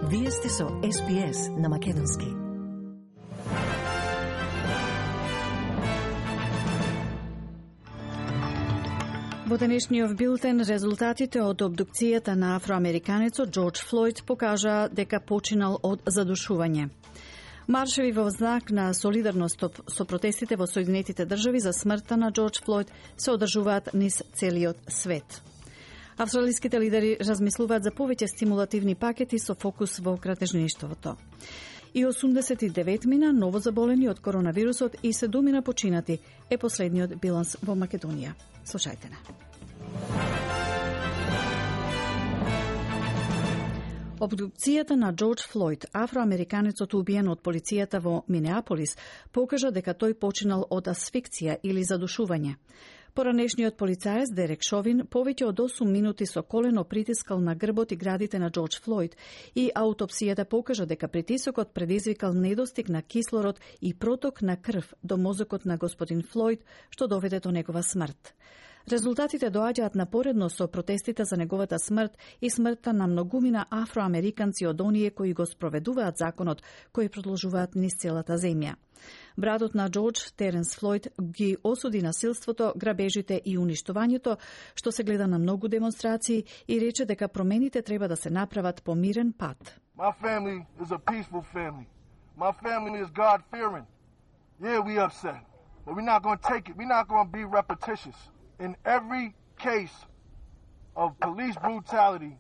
Вие сте со SBS на Македонски. Во денешниот билтен, резултатите од обдукцијата на афроамериканецот Џорџ Флојд покажаа дека починал од задушување. Маршеви во знак на солидарност со протестите во Соединетите држави за смртта на Џорџ Флојд се одржуваат низ целиот свет. Австралиските лидери размислуваат за повеќе стимулативни пакети со фокус во кратежништвото. И 89 мина ново заболени од коронавирусот и 7 мина починати е последниот биланс во Македонија. Слушајте на. Обдукцијата на Џорџ Флојд, афроамериканецот убиен од полицијата во Минеаполис, покажа дека тој починал од асфикција или задушување. Поранешниот полицаец Дерек Шовин повеќе од 8 минути со колено притискал на грбот и градите на Џорџ Флојд и аутопсијата покажа дека притисокот предизвикал недостиг на кислород и проток на крв до мозокот на господин Флојд, што доведе до негова смрт. Резултатите доаѓаат напоредно со протестите за неговата смрт и смртта на многумина афроамериканци од оние кои го спроведуваат законот, кои продолжуваат низ целата земја. Братот на Џорџ, Теренс Флојд, ги осуди насилството, грабежите и уништувањето, што се гледа на многу демонстрации, и рече дека промените треба да се направат по мирен пат. My family is a peaceful family. My family is God-fearing. Yeah, we upset, but we're not going to take it. We're not going to be repetitious. In every case of police brutality,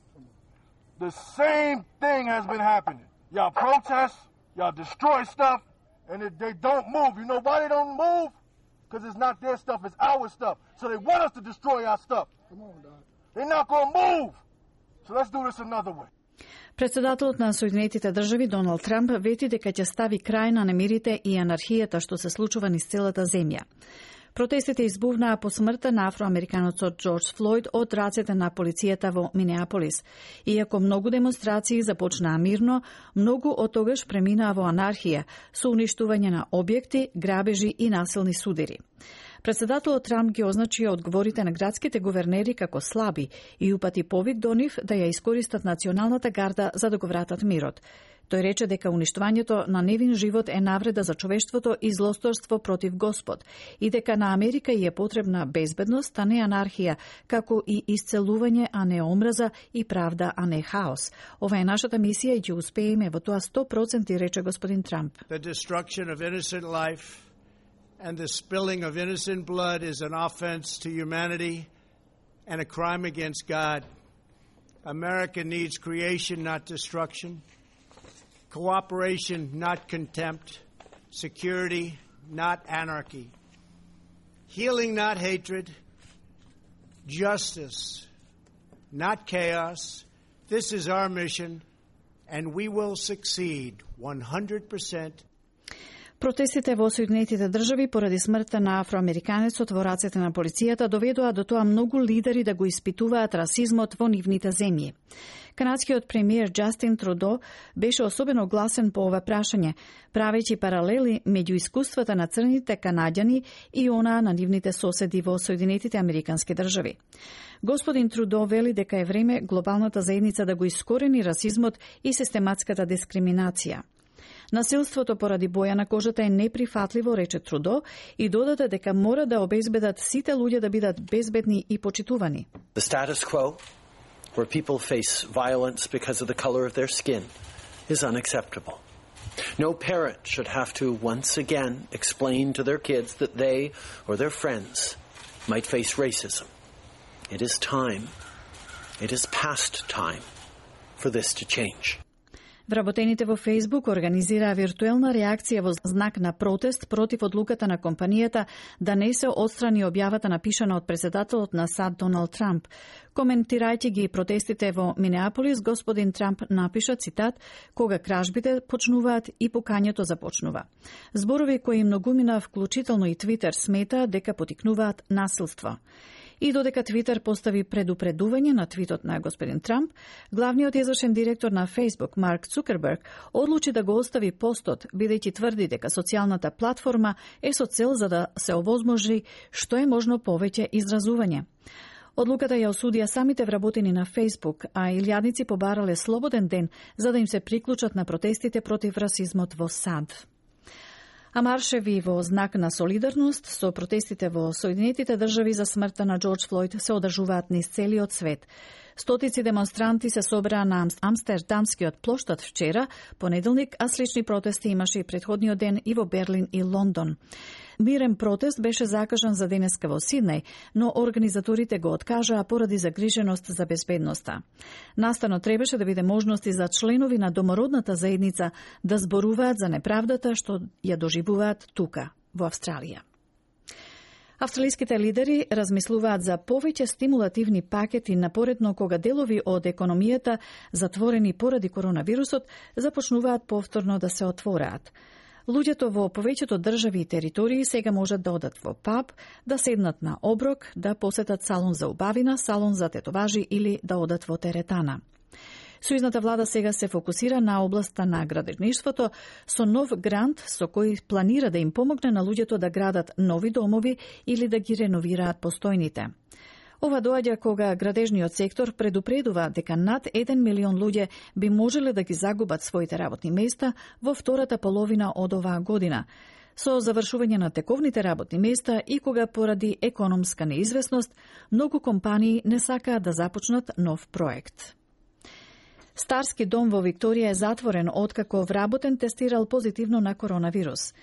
the same thing has been happening. Y'all protest, y'all destroy stuff, and they don't move. You know why they don't move? Because it's not their stuff, it's our stuff. So they want us to destroy our stuff. Come on, dog. They're not going to move. So let's do this another way. Председателот на Соединетите држави Доналд Трамп вети дека ќе стави крај на немирите и анархијата што се случува низ целата земја. Протестите избувнаа по смртта на афроамериканецот Џорџ Флојд од рацете на полицијата во Минеаполис. Иако многу демонстрации започнаа мирно, многу од тогаш преминаа во анархија, со уништување на објекти, грабежи и насилни судири. Председателот Трамп ги означи одговорите на градските гувернери како слаби и упати повик до нив да ја искористат националната гарда за да го вратат мирот. Тој рече дека уништувањето на невин живот е навреда за човештвото и злосторство против Господ и дека на Америка ја е потребна безбедност, а не анархија, како и исцелување, а не омраза, и правда, а не хаос. Ова е нашата мисија и ќе успееме во тоа 100%, рече господин Трамп. The destruction of innocent life and the spilling of innocent blood is an offense to humanity and a crime against God. America needs creation, not destruction. Cooperation, not contempt. Security, not anarchy. Healing, not hatred. Justice, not chaos. This is our mission, and we will succeed 100%. Протестите во Соединетите држави поради смртта на афроамериканецот во рацете на полицијата доведоа до тоа многу лидери да го испитуваат расизмот во нивните земји. Канадскиот премиер Џастин Трудо беше особено гласен по ова прашање, правејќи паралели меѓу искуствата на црните канаѓани и онаа на нивните соседи во Соединетите американски држави. Господин Трудо вели дека е време глобалната заедница да го искорени расизмот и систематската дискриминација. Насилството поради боја на кожата е неприфатливо, рече Трудо, и додаде дека мора да обезбедат сите луѓе да бидат безбедни и почитувани. The status quo, where people face violence because of the color of their skin, is unacceptable. No parent should have to once again explain to their kids that they or their friends might face racism. It is past time for this to change. Вработените во Facebook организираа виртуелна реакција во знак на протест против одлуката на компанијата да не се отстрани објавата напишана од председателот на САД Доналд Трамп. Коментирајќи ги протестите во Минеаполис, господин Трамп напиша, цитат, кога кражбите почнуваат и покањето започнува. Зборови кои многумина, вклучително и Твитер, смета дека потикнуваат насилство. И додека Твитер постави предупредување на твитот на господин Трамп, главниот извршен директор на Facebook, Марк Цукерберг, одлучи да го остави постот, бидејќи тврди дека социјалната платформа е со цел за да се овозможи што е можно повеќе изразување. Одлуката ја осудија самите вработени на Facebook, а илјадници побарале слободен ден за да им се приклучат на протестите против расизмот во САД. А маршеви во знак на солидарност со протестите во Соединетите држави за смртта на Џорџ Флојд се одржуваат низ целиот свет. Стотици демонстранти се собраа на Амстердамскиот плоштад вчера, понеделник, а слични протести имаше и претходниот ден и во Берлин и Лондон. Мирен протест беше закажан за денеска во Сиднеј, но организаторите го откажаа поради загриженост за безбедноста. Настано требаше да биде можности за членови на домородната заедница да зборуваат за неправдата што ја доживуваат тука, во Австралија. Австралиските лидери размислуваат за повеќе стимулативни пакети напоредно кога делови од економијата затворени поради коронавирусот започнуваат повторно да се отвораат. Луѓето во повеќето држави и територии сега можат да одат во паб, да седнат на оброк, да посетат салон за убавина, салон за тетоважи или да одат во теретана. Сојузната влада сега се фокусира на областа на градежништвото со нов грант со кој планира да им помогне на луѓето да градат нови домови или да ги реновираат постојните. Ова доаѓа кога градежниот сектор предупредува дека над 1 милион луѓе би можеле да ги загубат своите работни места во втората половина од оваа година, со завршување на тековните работни места и кога поради економска неизвестност многу компании не сакаат да започнат нов проект. Старски дом во Викторија е затворен откако вработен тестирал позитивно на коронавирус.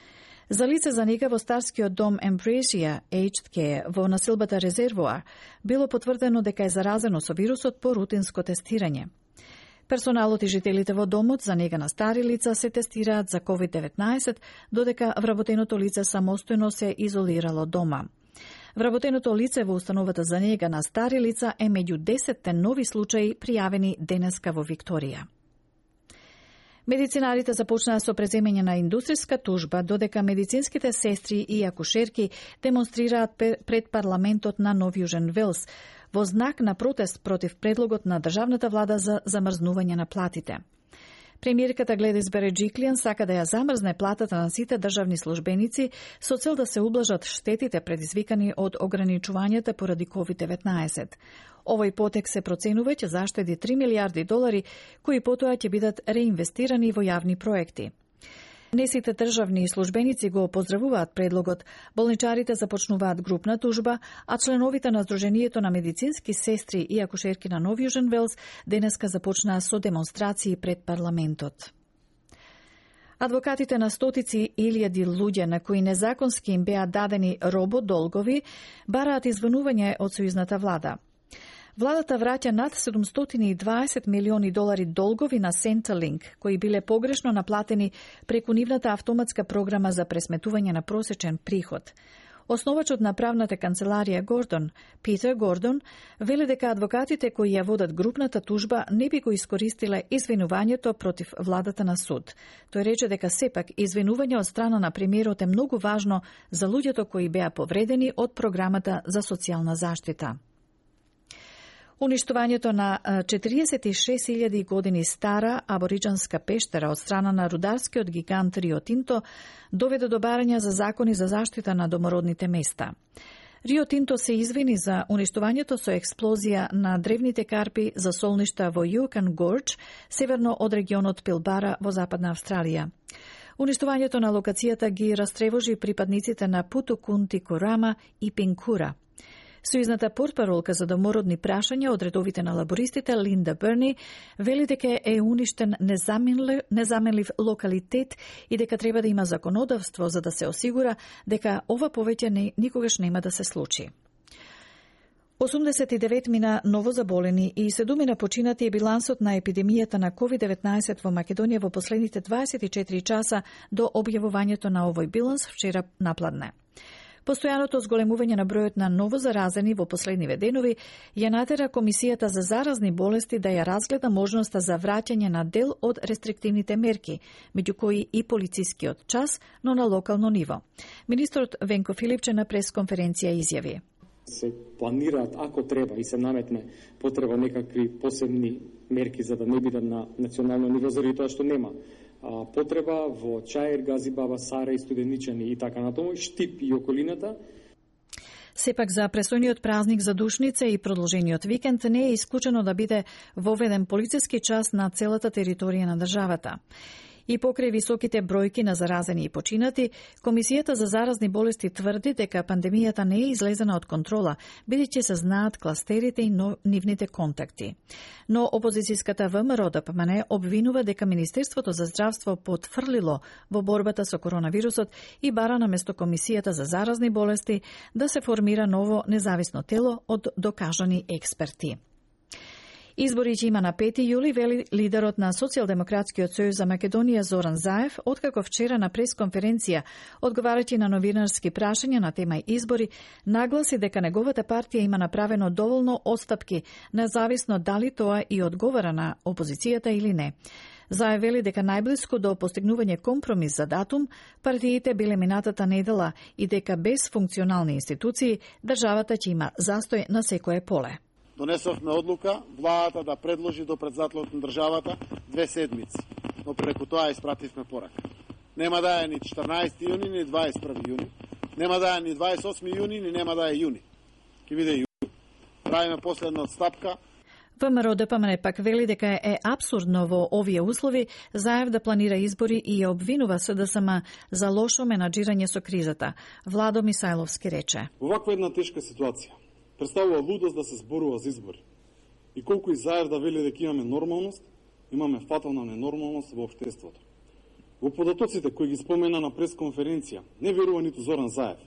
За лице за нега во Старскиот дом Ambrosia Aged Care во населбата Резервоар било потврдено дека е заразено со вирусот по рутинско тестирање. Персоналот и жителите во домот за нега на стари лица се тестираат за COVID-19, додека вработеното лице самостојно се изолирало дома. Вработеното лице во установата за нега на стари лица е меѓу 10 нови случаи пријавени денеска во Викторија. Медицинарите започнаа со преземање на индустријска тужба, додека медицинските сестри и акушерки демонстрираат пред парламентот на Нов Јужен Велс во знак на протест против предлогот на државната влада за замрзнување на платите. Премиерката Гледис Береджиклијан сака да ја замрзне платата на сите државни службеници со цел да се ублажат штетите предизвикани од ограничувањата поради COVID-19. Овој потек се проценува ќе заштеди $3 милиарди, кои потоа ќе бидат реинвестирани во јавни проекти. Не сите државни службеници го поздравуваат предлогот, болничарите започнуваат групна тужба, а членовите на Сдруженијето на медицински сестри и акушерки на Нов Јужен Велс денеска започнаа со демонстрации пред парламентот. Адвокатите на стотици илјади луѓе на кои незаконски им беа дадени рободолгови бараат извинување од сојузната влада. Владата враќа над $720 милиони долгови на Centrelink, кои биле погрешно наплатени преку нивната автоматска програма за пресметување на просечен приход. Основачот на правната канцеларија Гордон, Питер Гордон, вели дека адвокатите кои ја водат групната тужба не би го искористиле извинувањето против владата на суд. Тој рече дека сепак извинување од страна на премиерот е многу важно за луѓето кои беа повредени од програмата за социјална заштита. Уништувањето на 46.000 години стара абориџанска пештера од страна на рударскиот гигант Рио Тинто доведе до барања за закони за заштита на домородните места. Рио Тинто се извини за уништувањето со експлозија на древните карпи за солништа во Юкан Гордж, северно од регионот Пилбара во Западна Австралија. Уништувањето на локацијата ги растревожи припадниците на Путукунти Корама и Пинкура. Сојузната портпаролка за домородни прашања од редовите на лабористите Линда Берни вели дека е уништен незаменлив локалитет и дека треба да има законодавство за да се осигура дека ова повеќе никогаш нема да се случи. 89 мина новозаболени и 7 мина починати е билансот на епидемијата на COVID-19 во Македонија во последните 24 часа до објавувањето на овој биланс вчера напладне. Постојаното зголемување на бројот на новозаразени во последниве денови ја натера Комисијата за заразни болести да ја разгледа можноста за враќање на дел од рестриктивните мерки, меѓу кои и полицискиот час, но на локално ниво. Министрот Венко Филипче на пресконференција изјави: се планираат ако треба и се наметне потреба некакви посебни мерки за да не бидат на национално ниво, заради тоа што нема потреба во Чаир, Газибаба, Сара и Студеничани и така натаму, Штип и околината. Сепак за престојниот празник за Душница и продолжениот викенд не е исклучено да биде воведен полициски час на целата територија на државата. И покрај високите бројки на заразени и починати, Комисијата за заразни болести тврди дека пандемијата не е излезена од контрола, бидејќи се знаат кластерите и нивните контакти. Но опозицијската ВМРО-ДПМН обвинува дека Министерството за здравство потфрлило во борбата со коронавирусот и бара наместо Комисијата за заразни болести да се формира ново независно тело од докажани експерти. Избори ќе има на 5 јули, вели лидерот на Социјалдемократскиот сојуз за Македонија Зоран Заев, откако вчера на пресконференција, одговарајќи на новинарски прашања на тема избори, нагласи дека неговата партија има направено доволно отстапки, независно дали тоа и одговара на опозицијата или не. Заев вели дека најблиску до постигнување компромис за датум, партиите биле минатата недела и дека без функционални институции, државата ќе има застој на секое поле. Донесовме одлука владата да предложи до председателот на државата 2 седмици, но преку тоа испративме порака. Нема да е ни 14 јуни, ни 21 јуни, нема да е ни 28 јуни, ни нема да е јуни. Ке биде јуни. Правиме последна отстапка. ВМРО-ДПМН пак вели дека е апсурдно во овие услови Заев да планира избори и ја обвинува СДСМ за лошо менаџирање со кризата. Владо Мисајловски рече: Оваква една тешка ситуација представува лудост да се зборува за избори. И колку и Заев да вели дека имаме нормалност, имаме фатална ненормалност во општеството. Во податоците кои ги спомена на пресконференција, не верува ниту Зоран Заев.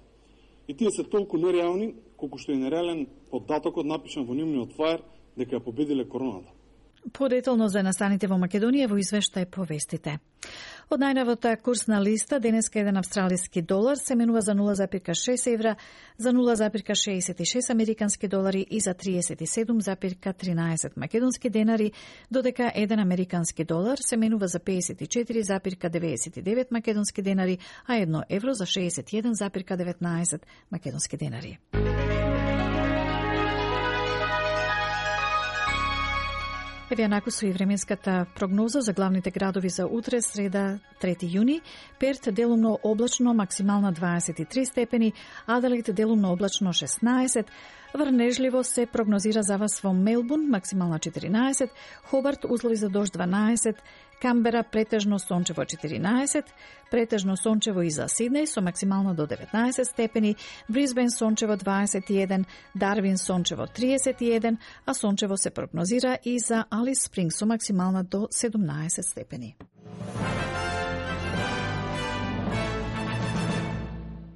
И тие се толку нереални, колку што е нереален податокот напишан во нивниот фаер дека ја победиле короната. Подетално за настаните во Македонија во извештај по вестите. Од најновата курсна листа, денеска еден австралиски долар се менува за 0,6 евра, за 0,66 американски долари и за 37,13 македонски денари, додека еден американски долар се менува за 54,99 македонски денари, а 1 евро за 61,19 македонски денари. Еве јанаку со и временската прогноза за главните градови за утре, среда, 3 јуни. Перт делумно облачно, максимална 23 степени, Аделаид делумно облачно 16, врнежливо се прогнозира за вас во Мелбурн, максимална 14, Хобарт услови за дожд 12, Камбера претежно сончево 14, претежно сончево и за Сиднеј со максимално до 19 степени, Брисбен сончево 21, Дарвин сончево 31, а сончево се прогнозира и за Алис Спрингс со максимална до 17 степени.